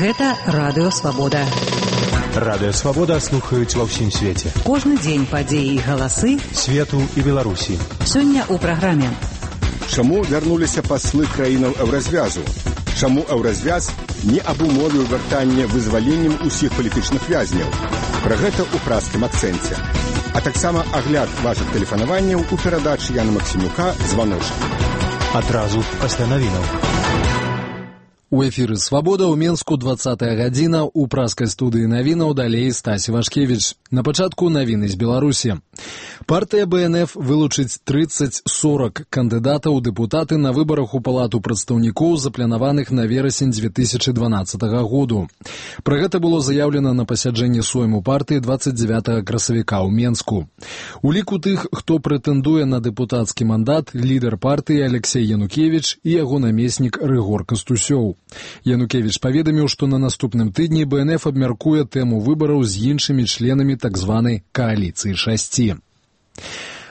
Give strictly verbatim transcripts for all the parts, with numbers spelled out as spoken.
Гэта Радыё Свабода. Радыё Свабода слухаюць ва ўсім свеце. Кожны дзень падзеі і галасы свету і Беларусі. Сёння ў праграме. Чаму вярнуліся паслы краінаў еўразвязу? Чаму еўразвяз не абумовіў вяртанне вызваленнем усіх палітычных вязняў? Пра гэта ў празкім акцэнце. А таксама агляд вашых тэлефанаванняў у перадачы Яна Максімюка «Званочак». Адразу пасля навінаў. У эфіры «Свабода» ў Менску двадцатая гадзіна, у праскай студыі навінаў далей Стась Вашкевіч. На пачатку навіны з Беларусі. Партыя бэ эн эф вылучыць трыццаць-сорак кандыдатаў у дэпутаты на выбарах у Палату прадстаўнікоў, запланаваных на верасень дзве тысячы дванаццатага году. Пра гэта было заяўлена на пасяджэнні сойму партыі двадцать девятого красавіка ў Менску. У ліку тых, хто прэтэндуе на дэпутацкі мандат, лідар партыі Алексей Янукевіч і яго намеснік Рыгор Кастусёў. Янукевіч паведаміў, што на наступным тыдні бэ эн эф абмяркуе тэму выбараў з іншымі членамі так званай кааліцыі шасці.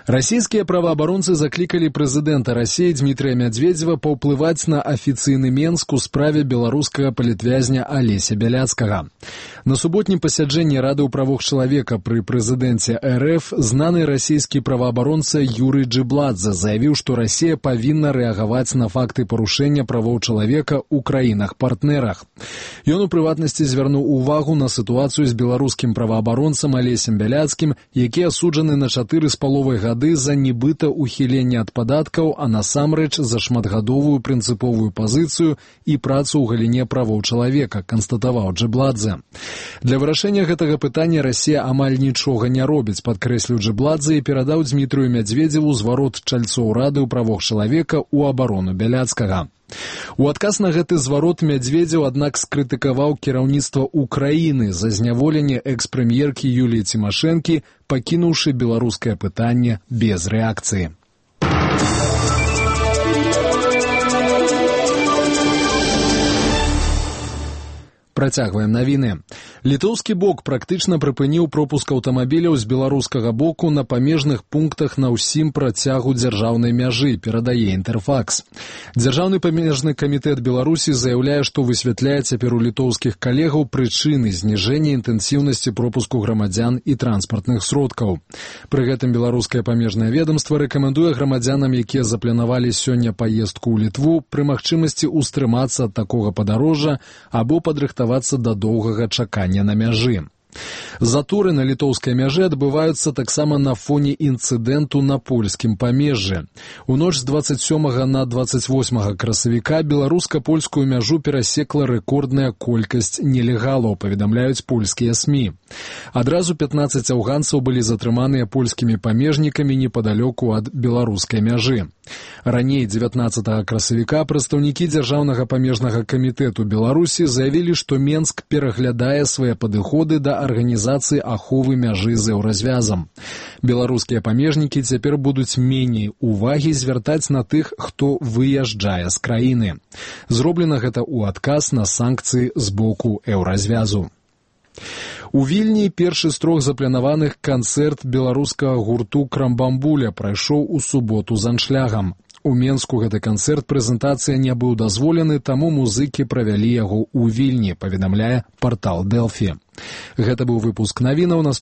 Расійскія праваабаронцы заклікалі прэзідэнта Расіі Дмітрыя Мядзведзева паўплываць на афіцыйны Менск у справе беларускага палітвязня Алеся Бяляцкага. На суботнім пасяджэнні Рады ў правах чалавека пры прэзідэнце эр эф знаны расійскі праваабаронца Юрый Джибладзе заявіў, што Расія павінна рэагаваць на факты парушэння правоў чалавека ў краінах-партнерах. Ён у прыватнасці звярнуў увагу на сітуацыю з беларускім праваабаронцам Алесем Бяляцкім, які асуджаны на чатыры з паловай гады за нібыта ухіленне ад падаткаў, а насамрэч за шматгадовую прынцыповую пазіцыю і працу ў галіне правоў чалавека, канстатаваў Джибладзе. Для вырашэння гэтага пытання Расія амаль нічога не робіць, падкрэсліў Джибладзе і перадаў Дмітрыю Мядзведзеву зварот чальцоў Рады ў правах чалавека ў абарону Бяляцкага. У адказ на гэты зварот Мядзведзеў, аднак, скрытыкаваў кіраўніцтва Украіны за зняволенне экс-прэм'еркі Юліі Цімашэнкі, пакінуўшы беларускае пытанне без рэакцыі. Працягваем навіны. Літоўскі бок практычна прыпыніў пропуск аўтамабіляў з беларускага боку на памежных пунктах на ўсім працягу дзяржаўнай мяжы, перадае Інтэрфакс. Дзяржаўны памежны камітэт Беларусі заяўляе, што высвятляе цяпер у літоўскіх калегаў прычыны зніжэння інтэнсіўнасці пропуску грамадзян і транспартных сродкаў. Пры гэтым беларускае памежнае ведамства рэкамендуе грамадзянам, якія запланавалі сёння паездку ў Літву, пры магчымасці ўстрымацца ад такога падарожжа або падрыхтавацца да доўгага чакання на мяжы. Заторы на літоўскай мяжы адбываюцца таксама на фоне інцыдэнту на польскім памежжы. У ноч з двадцать сёмага на двадцать восьмага красавіка беларуска-польскую мяжу перасекла рэкордная колькасць нелегалаў, паведамляюць польскія СМІ. Адразу пятнаццаць афганцаў былі затрыманыя польскімі памежнікамі непадалёку ад беларускай мяжы. Раней дзевятнаццатага красавіка прадстаўнікі дзяржаўнага памежнага камітэту Беларусі заявілі, што Менск пераглядае свае падыходы да арганізацыі аховы мяжы з еўразвязам. Беларускія памежнікі цяпер будуць меней увагі звяртаць на тых, хто выязджае з краіны. Зроблена гэта ў адказ на санкцыі з боку еўразвязу. У Вільні першы з трох запланаваных канцэрт беларускага гурту «Крамбамбуля» прайшоў у суботу з аншлягам. У Менску гэты канцэрт-прэзентацыя не быў дазволены, таму музыкі правялі яго ў Вільні, паведамляе партал Дэлфі. Гэта быў выпуск навінаў.